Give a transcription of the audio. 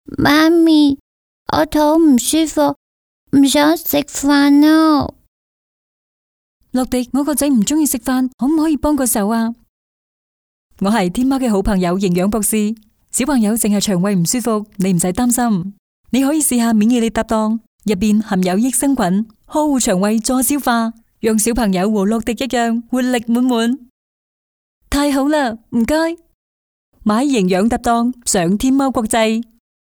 媽咪，我肚唔舒服，唔想食飯啊！樂迪，我個仔唔中意食飯，可唔可以幫個手啊？我係天貓嘅好朋友營養博士，小朋友淨係腸胃唔舒服，你唔使擔心，你可以試下免疫力搭檔，入邊含有益生菌，呵護腸胃助消化，讓小朋友和樂迪一樣活力滿滿。太好啦，唔該，買營養搭檔上天貓國際。